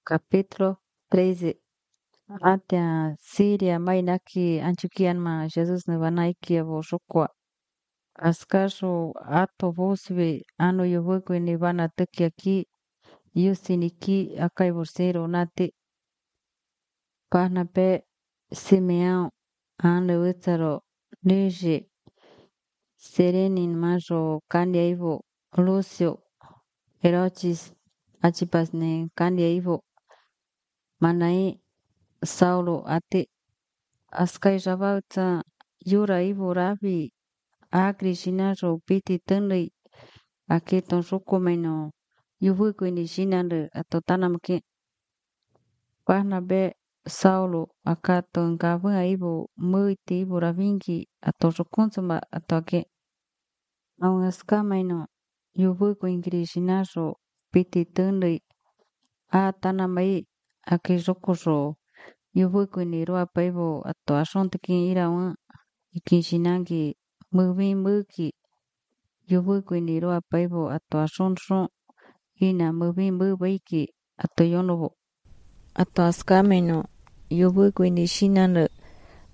Capítulo 13. Atia Siria mainaki Antioquianma Jesus nevanaiki voshokwa. Askasho ato vosve ano yovuku nivana tukiaki yusiniki akai vorsero nati panape Simeão ano utsaro nije serenin majo candiaivo Lúcio Herodes achipasne candiaivo manai Saulo ate askai javauta yura ivo ravi agri shinaro piti tunri aketon shokomeno yuvuku ni shinande atotanamke pahnabe Saulo akato ngavua ivo muiti ivo ravingi atoshokunsuma atoke aun askameno yuvuku ingri shinaro piti tunri atanamai akejokosho yuvuku ni roa paivo ato ashontekin irawan ikinshinangi muvin muki yuvuku ni roa paivo ato ashonshon ina muvin mubaiki ato yonovo ato askameno yuvuku ni shinano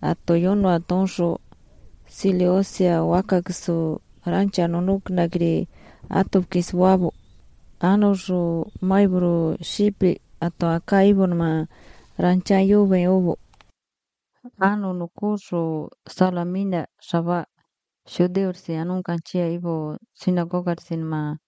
ato yono atonsho sileosia wakakso rancha nonuk nagri ato kiswabo anosho maibro shipi ato akaibonma rancha yuve ovo ano nukusho salamina shava shudeursi anun kanchia ivo sinagoga sinma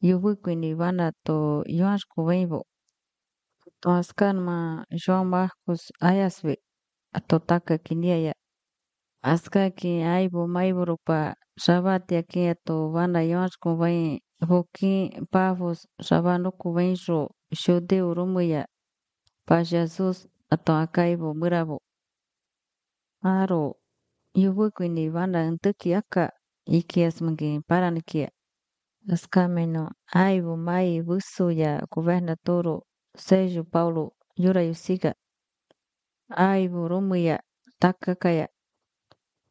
yuvuku ni vana to yuashku veivo to askanma João Marcos ayasve ato taka kiniaya aska ki aivo maivorupa shavati aki ato vana yuashku vei voki pavos shavanuku veisho shudeu rumuya pa Jesus ato akaivo muravo aro yuvuku ni vana ntuki aka ikias mangi paranikia askameno aivo mai vusuya gobernadoro Sérgio Paulo yura yusiga aivo rumuya takakaya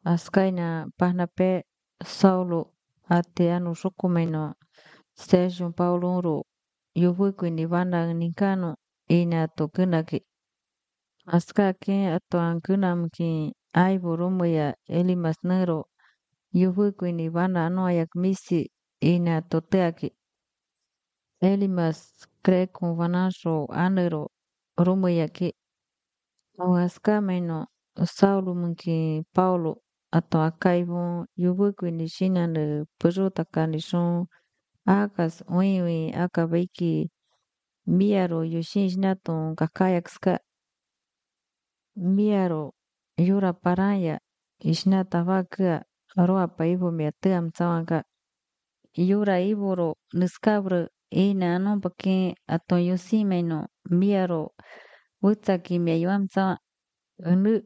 askaina pahnape Saulo ate anu shokumeno Sérgio Paulo ro yuvuku ni vana nikano ina tokunaki askake ato ankunamki aivo rumuya Elimas nero yuvuku ni vana anoayak misi ina toteaki Elimas kreku vanasho anero rumuyaki o askameno Saulo munki Paulo ato akaivo yuvuku ni shinane puruta kanishon akas uiwi akabaiki miaro yushinjnato kakayakska miaro yura paraya ishnata vaka roa paivo miatam tsawanga yura ivoro niskabro ina anompake ato yusimeno miaro utsaki miayuam tsawa unu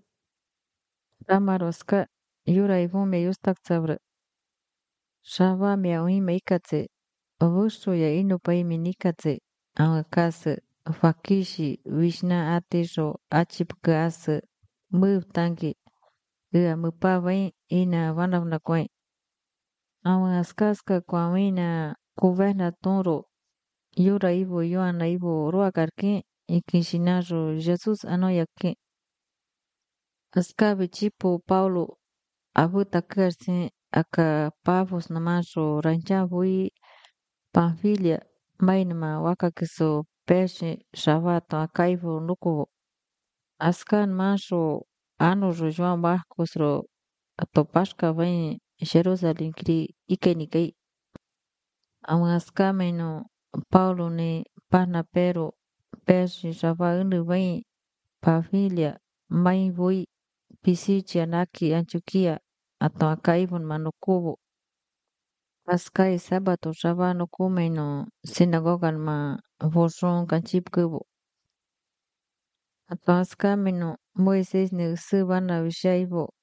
ramaroska yura ivume yustak tsabro shava miauime ikatse ovusho ya ino paimi nikatse awakase fakishi wishna atisho achipka ase mutangi ia mupavai ina vanavna kwai awan askaska kwawina gobernadoro yura ivo yoana ivo roakarke ikinshinajo Jesus anoyake askabe chipo Paulo abuta karse aka pavos namasho rancha vui Panfilia mainma wakakiso peshe shavato akaivo nukuvo askan masho anojo João Marcos ro atopashka vem Jerusalém kri ikenikai aun askameno Paulo ne Parnapero peshe shava unu vem Panfilia mai vui Pisidia naki Antioquia ato akaivon manukuvo Paskai sabato shavano kumeno sinagogan ma voshon kanchipkuvo ato askameno Moises ne usivana vishaivo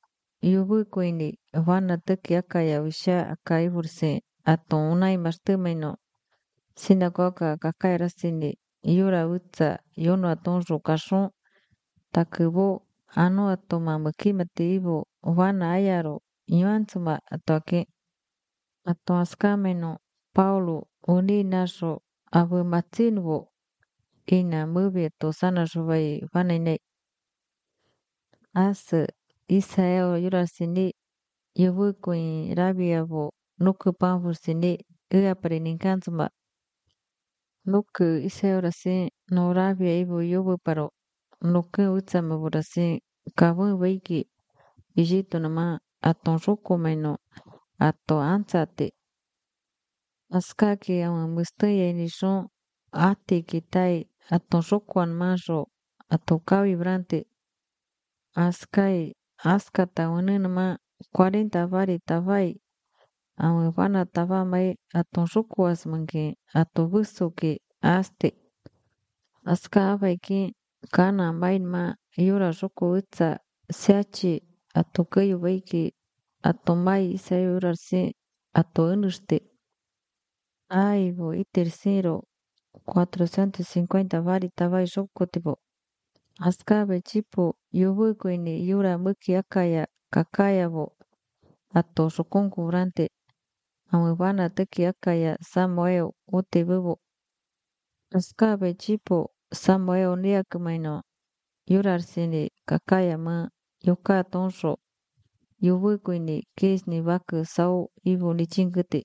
yuvukuini vana tuki akaya visha akaivurse ato unai mastumeno sinagoga kakairasini yura utsa yono atonjo kashon takuvo ano ato mamukimati ivo vana ayaro yuantsuma atoke ato askameno Paulo uni nasho abu matsinvo ina movie to sana shubai vanene as Israel yurasini yubu kuin rabia bo nuku panfursini ea parininkanzuma nuku Israel rasi no rabia ibu yubu paro nuku utsama burasi kabun weiki Ijito nama aton ruko maino ato ansate askaki ama mustaya nishon ati kitai aton rukoan majo ato kawi brante askai askata nama 40 vari tavai ama vana tava mai aton rukoas manke ato buso ke aste aska avaiki kana main ma yura ruko utsa siachi ato kayu vaiki ato mai isa yurarse ato unuste aivo y tercero 450 vari tavai ruko tipo askabe chipo yubuko ini yura muki akaya kakaya vo ato rukon kubrante amubana teki akaya Samuel ute bubo askabe chipo Samuel niakmaino yurarsini kakaya ma yoka tonsho yubuko ini kisni baku sau ivo ni chingute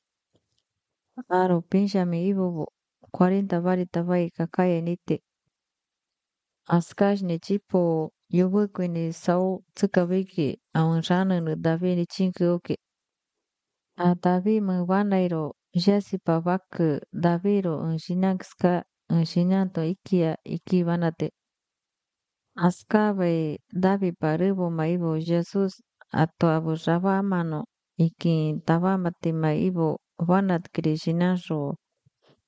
aro Benjamin ivo 40 vari tavai kakaya nite askashni chipo yubuko ini sau tsukabiki awan rana no David ni chinkuke a David mubanairo jasipa baku Daviro un shinakska un shinanto ikia ikibanate askabe David parubo maibo Jesus ato abu raba mano iki tabamate maibo wanat krishinasho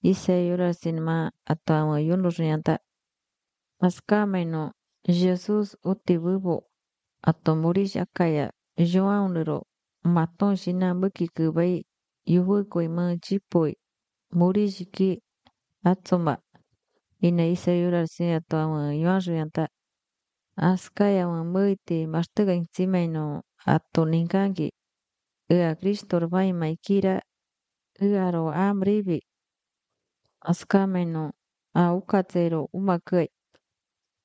isa yura sinma ato ama yunurianta askamaino Jesus uti bubo ato murish akaya Joaunero maton shinambuki kubai yubuko ima chipoi murishiki atsoma ina isa yura sin ato ama yuanrianta askaya ama muite mastuga intimaino ato ninkangi ea Cristo vai maikira ero amribi askamaino a ukatsero umakai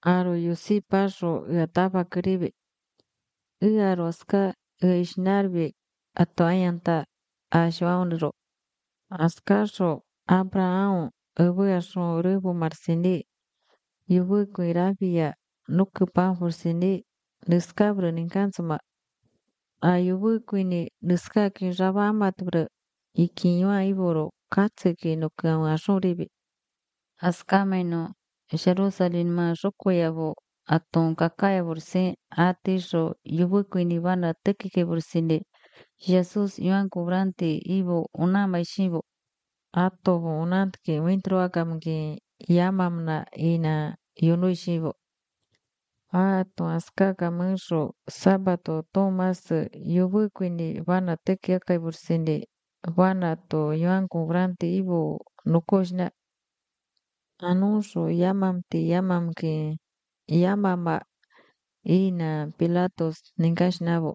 aro yusi pasho ea tabakribi ero aska ishnarbi ato ayanta ashwaunro askasho Abraham ubuasho rubu marsini yubuko irabia nuku panfursini niskabro ninkansuma ayubuko ini niskaki raba amatbro ikinywa iboro katseki nuku ashuribi askamaino Jerusalem ma rokoyabo aton kakaya burse atisho yubuko ini bana tekike bursini Jesus yuan kubrante ibo unama ishibo ato unantke wintro akamke yamamna ina yunu ishibo ato askaka munsho sabato Thomas yubuko ini bana teke akai bursini bana to yuan kubrante ibo nukoshna anuncio yamamke yamama ina Pilatos ninkashnabo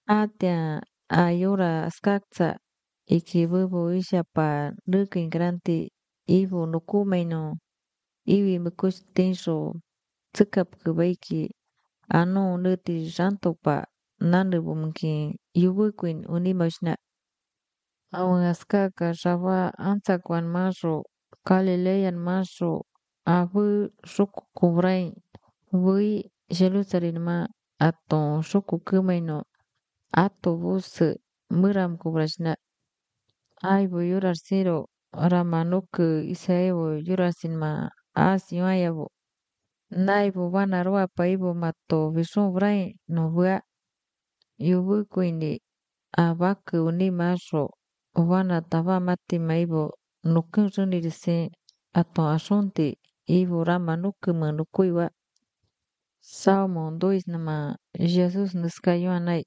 atia ayora askaksa ikibubu ishapa nukin granti ibu nukumaino iwi mukush tensho tsikap kubaiki ano nuti jantopa nanubumki yubukwin unimashna awan askaka shaba antzakwan masho Galilean masho abu shuku kubrai bui Jerusalem ma aton shuku kumaino ato bus muram kubrashna aibu yurarsiro ramanuku isaevo yurasinma asyuayavo naibu banarua paibu mato vishun brai no bua yubukuini abaku unimasho wana tava mati maibo nukun runirise ato ashunti ibu ramanuku manukuiwa Salmo 2 nama Jesus nuskayuanai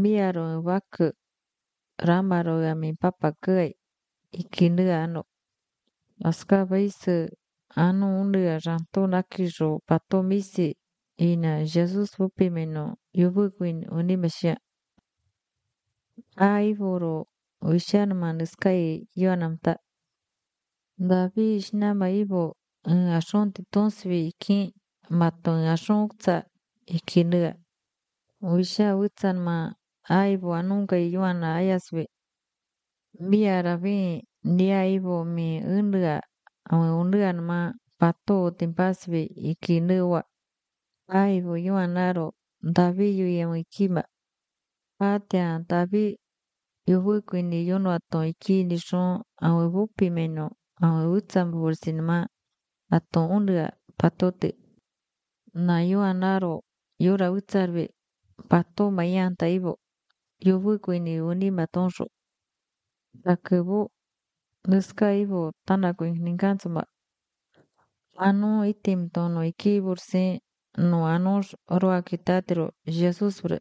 miaro baku ramaro mi papa kai ikinu ano askaba isu ano unia ranto nakijo pato misi ina Jesus upimeno yubukwin unimasha aivoro wishanma nuskai yuanamta David ishnama ibo ashon titonsibi iki maton ashon uksa ikinega. Wisha witsan ma aibo anunga yuana ayasbe. Biarabi ni aibo mi unga unga ma pato timpasbe ikinewa. Aibo yuanaro David yuyamikima. Patia David yuhukwini yono aton ikini shon awe bupi meno awe witsan bursinma aton unga patote. Na yuanaro yura witsarbe pato mayanta ibo. Yuhukwini unima tonsho. Takebu nuska ibo tanako ninkansuma. Ano itim tono iki bursi no anos roa kitatero Jesus bre.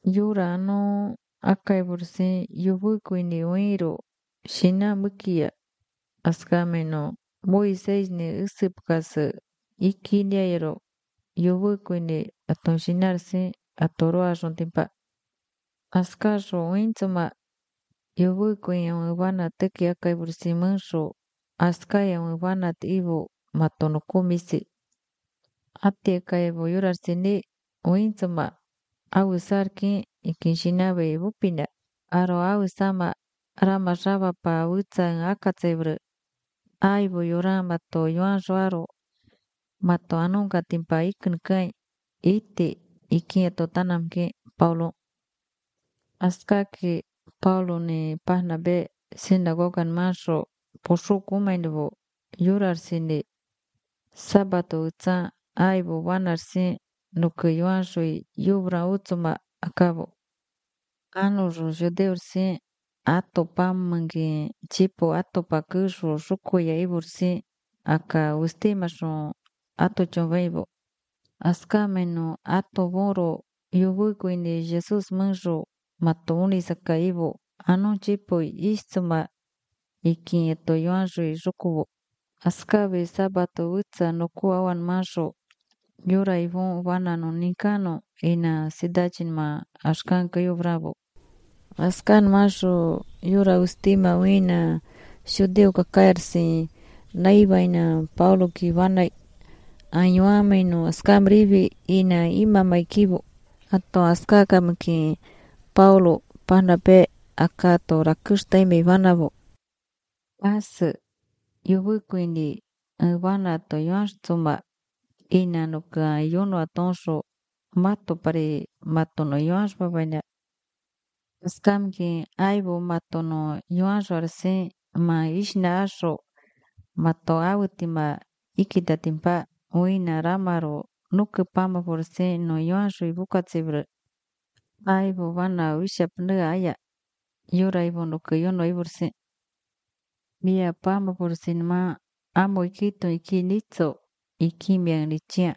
Yura ano akai bursi yuhukwini uiro shina mukia askameno Moises ni usipkasa ikiniairo yuhukwini aton shinarsi atoroa shontimpa. Askasho uintsuma yuhukwini wana teki akai bursi mansho askaya wana ibo matono komisi. Ate kaibo yurarsini uintsuma awusarki ikinshinabe bupina. Aro awusama rama shaba pa witsan akatsebre. Aibo yura mato yuan shwaro mato anunga timpa ikinkai ite ikin tanamke Paulo. Askaki Paulo ni pahnabe sinagogan masho posho kumainbo yurarsini sabato utsa aibo wanarsi nuke yuanshoi yubra utsuma akabo. Ano judeursi ato pamangi chipo ato pakusho shukuya ibursi aka ustimashon ato chonveibo. Askameno ato boro yubukwini Jesus mansho mato unisaka ibo. Ano chipo istuma ikin eto yuanshoi shukubo. Askabe sabato utsa nuku awan mansho yura ibon wanano nikano ina sidachin ma ashkanka yubrabo. Askan mansho yura ustima wina shudeu kakarsi naibaina Paulo ki wana anyuameno askamribi ina ima maikibo. Ato askakamki Paulo panape akato rakusta ime vanabo. As yubukwini wana to yuanshuma ina nuka yono atonsho mato pare matono yuanshba baina. Askamki aibo matono yuansho arse ma ishna asho mato awutima ikitatimpa uina ramaro nuke pama porse no yuansho ibukatsibre. Aibo wana wishapnega aya yura ibo nuke yono iburse. Mia pama porse ma amo ikito ikinitso ikimia nichia.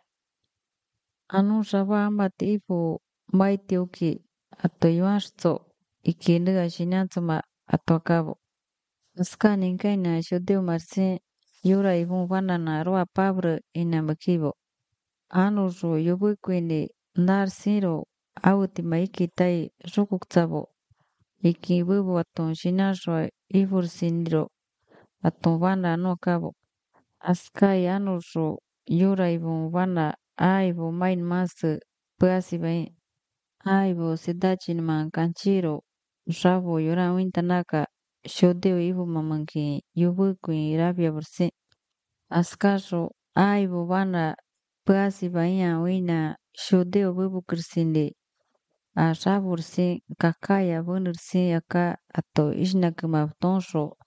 Anu shaba amati ibo maiti uki ato yuanshto ikinega shinantsuma ato akabo. Askani nkaina shudeu marse yura ibon wanana roa pabre ina makibo. Anu ro yubukwini narsiro awutima ikitai rukuksabo. Iki bubu aton shinasho ibursiniro aton wana anu akabo. Askai anu ro yura ibon wana aibo main masu puasibai. Aibo sidachin man kanchiro rabo yura wintanaka shudeu ibo mamanki yubukwini rabia bursi. Askasho aibo wana puasibaiya wina shudeu bubu kirsindi. Rabursi kakaya bunursi aka ato ishnakima tonsho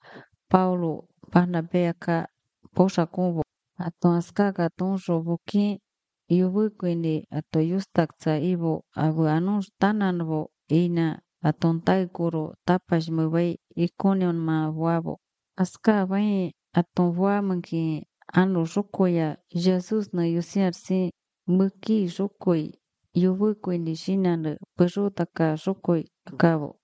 Paulo panape aka posha kumbo. Ato askaka tonsho buki yubukwini ato yustaksa ibo abu anus tananbo ina aton taikuro tapash mubai ikonion ma wabo. Aska bai aton wamanki anu shukoya Jesus na yusiarsi muki shukoi yubukwini shinane perutaka shukoi akabo.